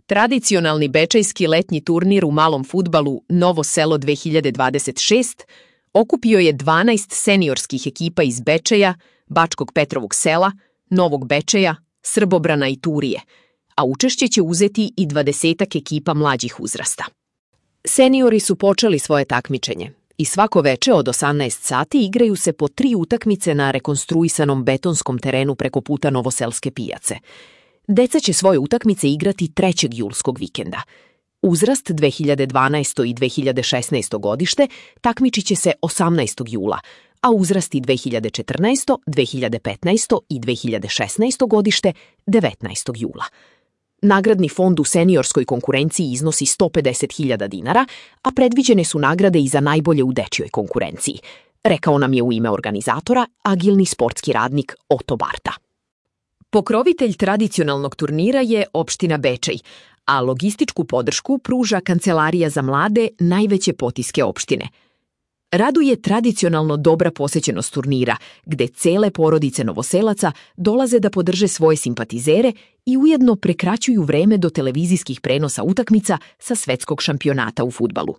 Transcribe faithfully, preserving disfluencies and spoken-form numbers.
Tradicionalni bečejski letnji turnir u malom fudbalu Novo Selo dve hiljade dvadeset šest okupio je dvanaest seniorskih ekipa iz Bečeja, Bačkog Petrovog Sela, Novog Bečeja, Srbobrana i Turije, a učešće će uzeti i dvadesetak ekipa mlađih uzrasta. Seniori su počeli svoje takmičenje i svako veče od osamnaest sati igraju se po tri utakmice na rekonstruisanom betonskom terenu preko puta Novoselske pijace. Deca će svoje utakmice igrati trećeg julskog vikenda. Uzrast dve hiljade dvanaesto. i dve hiljade šesnaesto. godište takmičit će se osamnaestog jula, a uzrasti dve hiljade četrnaesto. dve hiljade petnaesto. i dve hiljade šesnaesto. godište devetnaestog jula. Nagradni fond u seniorskoj konkurenciji iznosi sto pedeset hiljada dinara, a predviđene su nagrade i za najbolje u dečjoj konkurenciji, rekao nam je u ime organizatora agilni sportski radnik Oto Barta. Pokrovitelj tradicionalnog turnira je opština Bečej, a logističku podršku pruža Kancelarija za mlade najveće potiske opštine. Raduje tradicionalno dobra posećenost turnira, gde cele porodice Novoselaca dolaze da podrže svoje simpatizere i ujedno prekraćuju vreme do televizijskih prenosa utakmica sa svetskog šampionata u fudbalu.